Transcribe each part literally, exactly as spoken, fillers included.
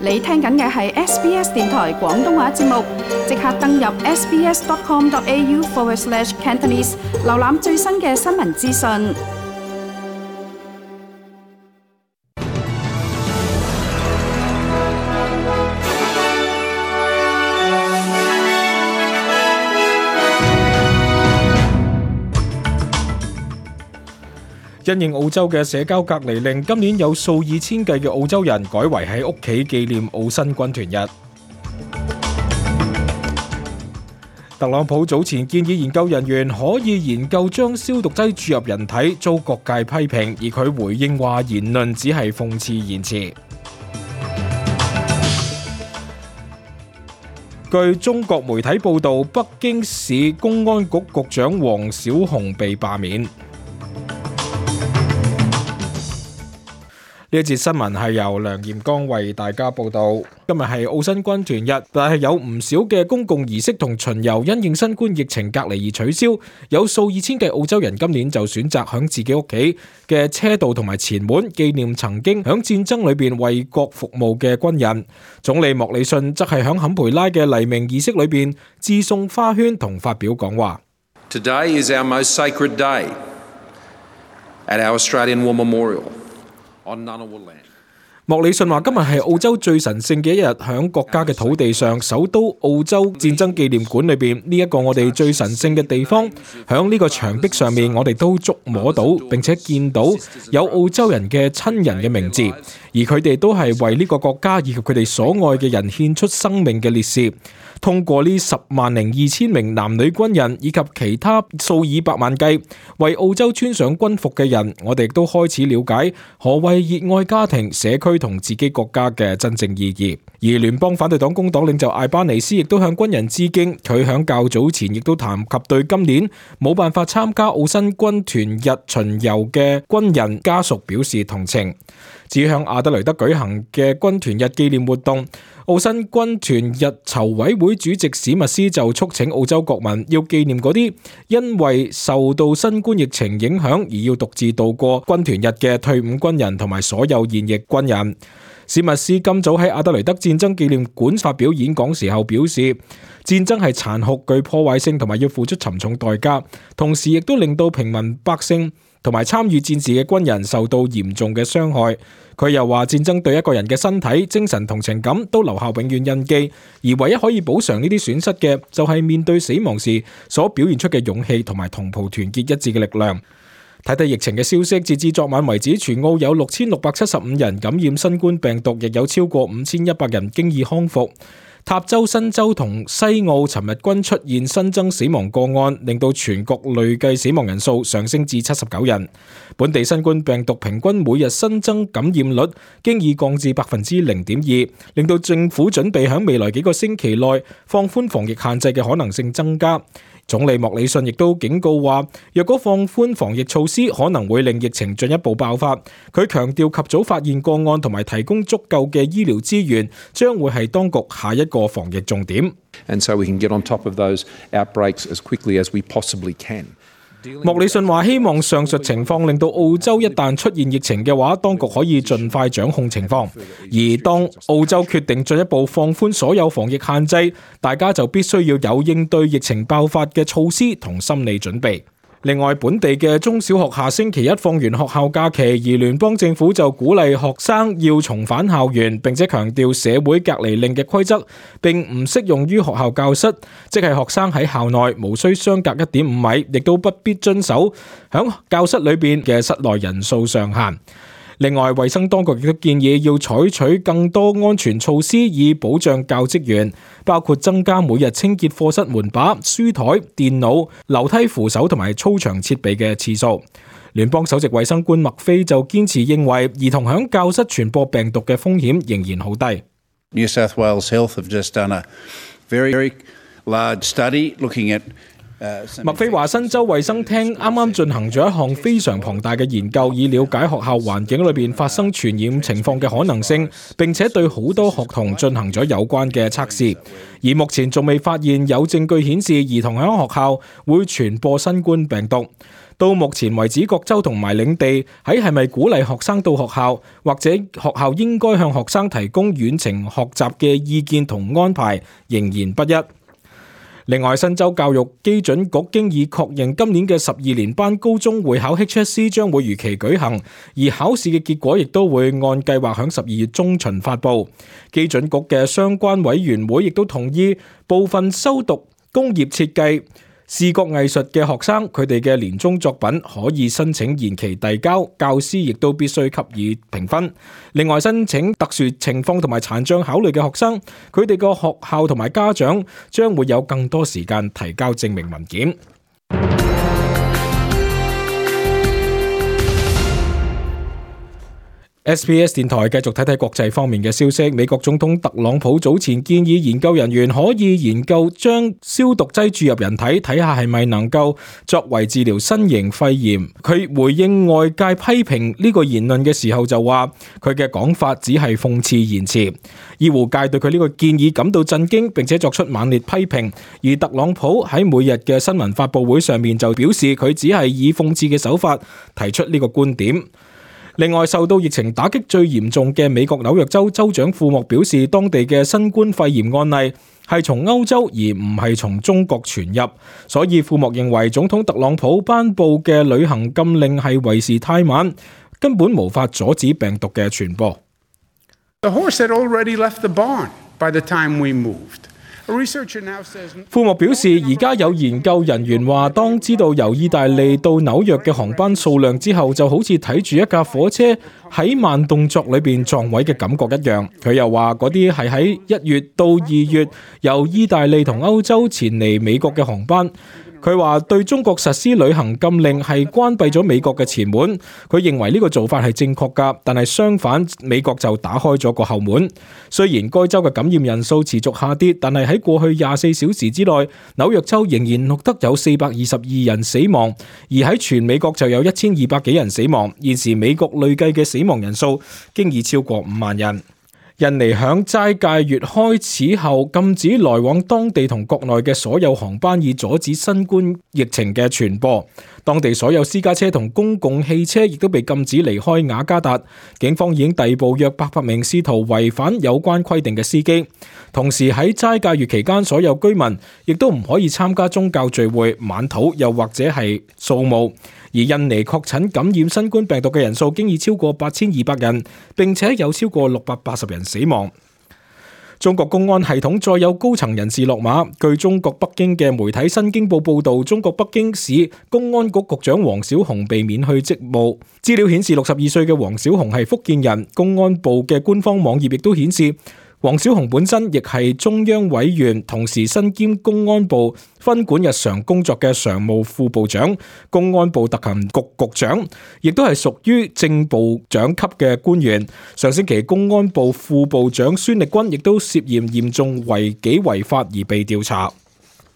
你聽緊嘅係 S B S 電台廣東話節目，即刻登入 sbs.com.au forward slash Cantonese， 瀏覽最新嘅新聞資訊。因應澳洲嘅社交隔離令，今年有數以千計嘅澳洲人改為喺屋企紀念澳新軍團日。特朗普早前建議研究人員可以研究將消毒劑注入人體，遭各界批評，而佢回應話言論只係諷刺言辭。據中國媒體報道，北京市公安局局長王小洪被罷免。呢一節新聞係由梁炎剛為大家報道。今日係澳新軍團日，但係有唔少嘅公共儀式同巡遊因應新冠疫情隔離而取消。有數以千計澳洲人今年就選擇響自己屋企嘅車道同埋前門紀念曾經響戰爭裏邊為國服務嘅軍人。總理莫里遜則係響坎培拉嘅黎明儀式裏邊致送花圈同發表講話。Today is our most sacred day at our Australian War Memorial.莫里遜話今日係澳洲最神聖嘅一日，響國家嘅土地上，首都澳洲戰爭紀念館裏邊呢一個我哋最神聖嘅地方，響呢個牆壁上面我哋都觸摸到並且見到有澳洲人嘅親人嘅名字，而佢哋都係為呢個國家以及佢哋所愛嘅人獻出生命嘅烈士。通過呢十萬零二千名男女軍人以及其他數以百萬計為澳洲穿上軍服嘅人，我哋亦都開始了解何謂熱愛家庭、社區同自己國家嘅真正意義。而聯邦反對黨工黨領袖艾巴尼斯亦都向軍人致敬，佢響較早前亦都談及對今年冇辦法參加澳新軍團日巡遊嘅軍人家屬表示同情。至於向阿德雷德舉行嘅軍團日紀念活動，澳新軍團日籌委會主席史密斯就促請澳洲國民要紀念嗰啲因為受到新冠疫情影響而要獨自度過軍團日嘅退伍軍人同埋所有現役軍人。史密斯今早喺阿德雷德戰爭紀念館發表演講時候表示，戰爭係殘酷、具破壞性同埋要付出沉重代價，同時亦都令到平民百姓同埋參與戰事嘅軍人受到嚴重嘅傷害。佢又話戰爭對一個人嘅身體、精神同情感都留下永遠印記，而唯一可以補償呢啲損失嘅就係面對死亡時所表現出嘅勇氣同埋同袍團結一致嘅力量。睇睇疫情嘅消息，截至昨晚為止，全澳有六千六百七十五人感染新冠病毒，亦有超過五千一百人經已康復。塔州、新州同西澳尋日均出現新增死亡個案，令到全國累計死亡人數上升至七十九人。本地新冠病毒平均每日新增感染率經已降至百分之零點二，令到政府準備喺未來幾個星期內放寬防疫限制嘅可能性增加。總理莫里遜亦都警告話，若果放寬防疫措施，可能會令疫情進一步爆發。佢強調及早發現個案同埋提供足夠嘅醫療資源，將會係當局下一個防疫重點。And so we can get on top of those outbreaks as quickly as we possibly can. 莫里遜話希望上述情況令到澳洲一旦出現疫情嘅話，當局可以盡快掌控情況。而當澳洲決定進一步放寬所有防疫限制，大家就必須要有應對疫情爆發嘅措施同心理準備。另外，本地嘅中小學下星期一放完學校假期，而聯邦政府就鼓勵學生要重返校園，並且強調社會隔離令嘅規則並唔適用於學校教室，即係學生喺校內無需相隔一點五米，亦都不必遵守響教室裏邊嘅室內人數上限。另外，衛生當局亦都建議要採取更多安全措施以保障教職員，包括增加每日清潔課室門把、書台、電腦、樓梯扶手同埋操場設備嘅次數。聯邦首席衛生官麥菲就堅持認為，兒童響教室傳播病毒嘅風險仍然好低。New South Wales Health have just done a very, very large study looking at麥菲話新州衛生廳啱啱進行咗一項非常龐大嘅研究，以了解學校環境裏邊發生傳染情況嘅可能性，並且對好多學童進行咗有關嘅測試，而目前仲未發現有證據顯示兒童喺學校會傳播新冠病毒。到目前為止，各州同埋領地喺係咪鼓勵學生到學校，或者學校應該向學生提供遠程學習嘅意見同安排，仍然不一。另外，新州教育基準局經已確認今年嘅十二年班高中會考 H S C 將會如期舉行，而考試嘅結果亦都會按計劃響十二月中旬發布。基準局嘅相關委員會亦都同意部分修讀工業設計、視覺藝術嘅學生，佢哋嘅年終作品可以申請延期遞交，教師亦都必須給予評分。另外，申請特殊情況同埋殘障考慮嘅學生，佢哋個學校同埋家長將會有更多時間提交證明文件。S B S 電台繼續睇睇國際方面嘅消息。美國總統特朗普早前建議研究人員可以研究將消毒劑注入人體，睇下係咪能夠作為治療新型肺炎。佢回應外界批評呢個言論嘅時候就話，佢嘅講法只係諷刺言辭。醫護界對佢呢個建議感到震驚，並且作出猛烈批評。而特朗普喺每日嘅新聞發佈會上面就表示，佢只係以諷刺嘅手法提出呢個觀點。另外，受到疫情打擊最嚴重嘅美國紐約州州長庫莫表示，當地嘅新冠肺炎案例係從歐洲而唔係從中國傳入，所以庫莫認為總統特朗普頒布嘅旅行禁令係為時太晚，根本無法阻止病毒嘅傳播。The horse had already left the barn by the time we moved.庫莫表示，而家有研究人員話，當知道由意大利到紐約嘅航班數量之後，就好似睇住一架火車喺慢動作裏邊撞位嘅感覺一樣。佢又話，嗰啲係喺一月到二月由意大利同歐洲前嚟美國嘅航班。佢話對中國實施旅行禁令係關閉咗美國嘅前門，佢認為呢個做法係正確㗎，但係相反，美國就打開咗個後門。雖然該州嘅感染人數持續下跌，但係喺過去廿四小時之內，紐約州仍然錄得有四百二十二人死亡，而喺全美國就有一千二百幾人死亡。現時美國累計嘅死亡人數經已超過五萬人。印尼響齋戒月開始後禁止來往當地同國內嘅所有航班，以阻止新冠疫情嘅傳播。當地所有私家車同公共汽車亦都被禁止離開雅加達。警方已經逮捕約八百名試圖違反有關規定嘅司機。同時喺齋戒月期間，所有居民亦都唔可以參加宗教聚會、晚禱又或者係掃墓。而印尼確診感染新冠病毒嘅人數經已超過八千二百人，並且有超過六百八十人死亡。中國公安系統再有高層人士落馬。據中國北京嘅媒體《新京報》報導，中國北京市公安局局長王小洪被免去職務。資料顯示，六十二歲嘅王小洪係福建人。公安部嘅官方網頁亦都顯示，王小洪本身亦係中央委員，同時身兼公安部分管日常工作嘅常務副部長、公安部特勤局局長，亦都係屬於正部長級嘅官員。上星期，公安部副部長孫力軍亦都涉嫌嚴重違紀違法而被調查。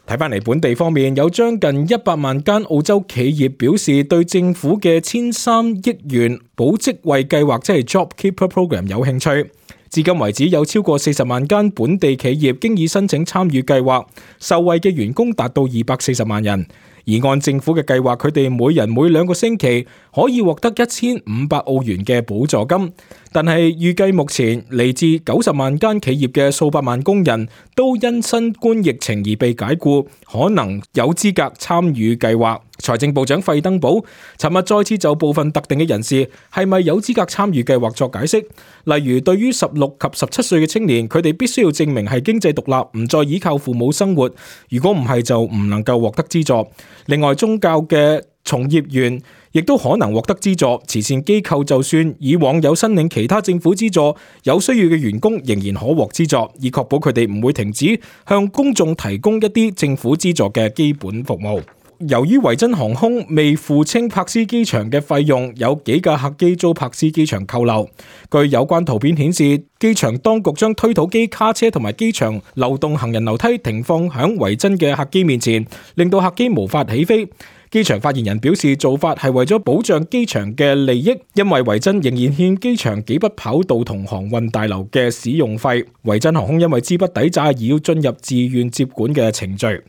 睇返嚟本地方面，有將近一百萬間澳洲企業表示對政府嘅千三億元保職位計劃，即係 JobKeeper Program 有興趣。至今為止，有超過四十萬間本地企業經已申請參與計劃，受惠嘅員工達到二百四十萬人。而按政府嘅計劃，佢哋每人每兩個星期可以獲得一千五百澳元嘅補助金。但係預計目前嚟自九十萬間企業嘅數百萬工人都因新冠疫情而被解僱，可能有資格參與計劃。財政部長費登堡尋日再次就部分特定嘅人士係咪有資格參與計劃作解釋，例如對於十六及十七歲嘅青年，佢哋必須要證明係經濟獨立，唔再依靠父母生活，如果唔係就唔能夠獲得資助。另外，宗教嘅從業員亦都可能獲得資助，慈善機構就算以往有申領其他政府資助，有需要嘅員工仍然可獲資助，以確保佢哋唔會停止向公眾提供一啲政府資助嘅基本服務。由於維珍航空未付清柏斯機場嘅費用，有幾架客機遭柏斯機場扣留。據有關圖片顯示，機場當局將推土機、卡車同埋機場流動行人樓梯停放響維珍嘅客機面前，令到客機無法起飛。機場發言人表示，做法係為咗保障機場嘅利益，因為維珍仍然欠機場幾筆跑道同航運大樓嘅使用費。維珍航空因為資不抵債而要進入自願接管嘅程序。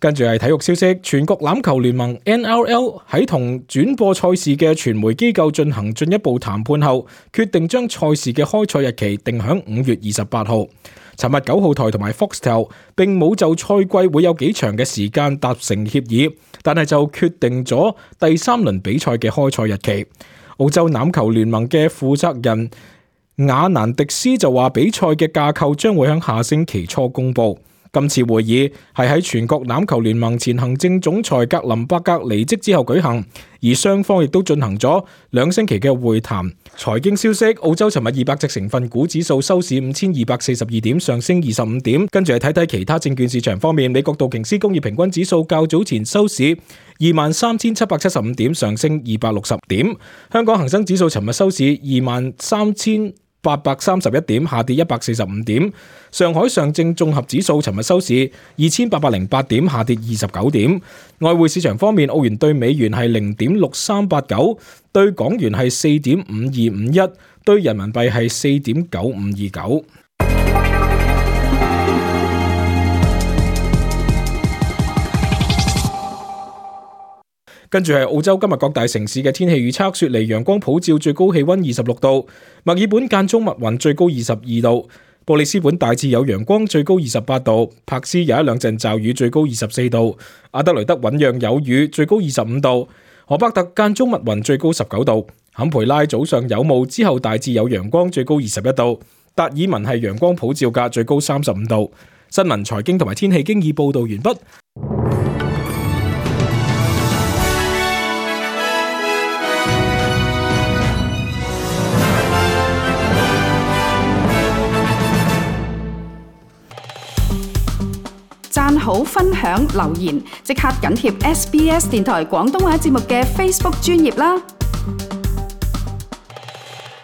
跟住係體育消息，全國欖球聯盟 N R L 喺同轉播賽事嘅傳媒機構進行進一步談判後，決定將賽事嘅開賽日期定響五月二十八號。尋日九號台同埋 Foxtel 並冇就賽季會有幾長嘅時間達成協議，但係就決定咗第三輪比賽嘅開賽日期。澳洲欖球聯盟嘅負責人雅南迪斯就話，比賽嘅架構將會喺下星期初公佈。今次會議係喺全國欖球聯盟前行政總裁格林伯格離職之後舉行，而雙方亦都進行咗兩星期嘅會談。財經消息，澳洲尋日二百隻成分股指數收市五千二百四十二點，上升二十五點。跟住嚟睇睇其他證券市場方面，美國道瓊斯工業平均指數較早前收市二萬三千七百七十五點，上升二百六十點。香港恒生指數尋日收市二萬三千八百三十一點，下跌一百四十五點。上海上證綜合指數尋日收市二千八百零八點，下跌二十九點。外匯市場方面，澳元對美元係零點六三八九，對港元係四點五二五一，對人民幣係四點九五二九。跟住係澳洲今日各大城市嘅天氣預測，雪梨陽光普照，最高氣溫二十六度；墨爾本間中密雲，最高二十二度；布里斯本大致有陽光，最高二十八度；柏斯有一兩陣驟雨，最高二十四度；阿德雷德醞釀有雨，最高二十五度；荷伯特間中密雲，最高十九度；坎培拉早上有霧，之後大致有陽光，最高二十一度；達爾文係陽光普照嘅，最高三十五度。新聞、財經同埋天氣經已報道完畢。讚好、分享、留言，即刻緊貼 S B S 電台廣東話節目嘅 Facebook 專頁啦！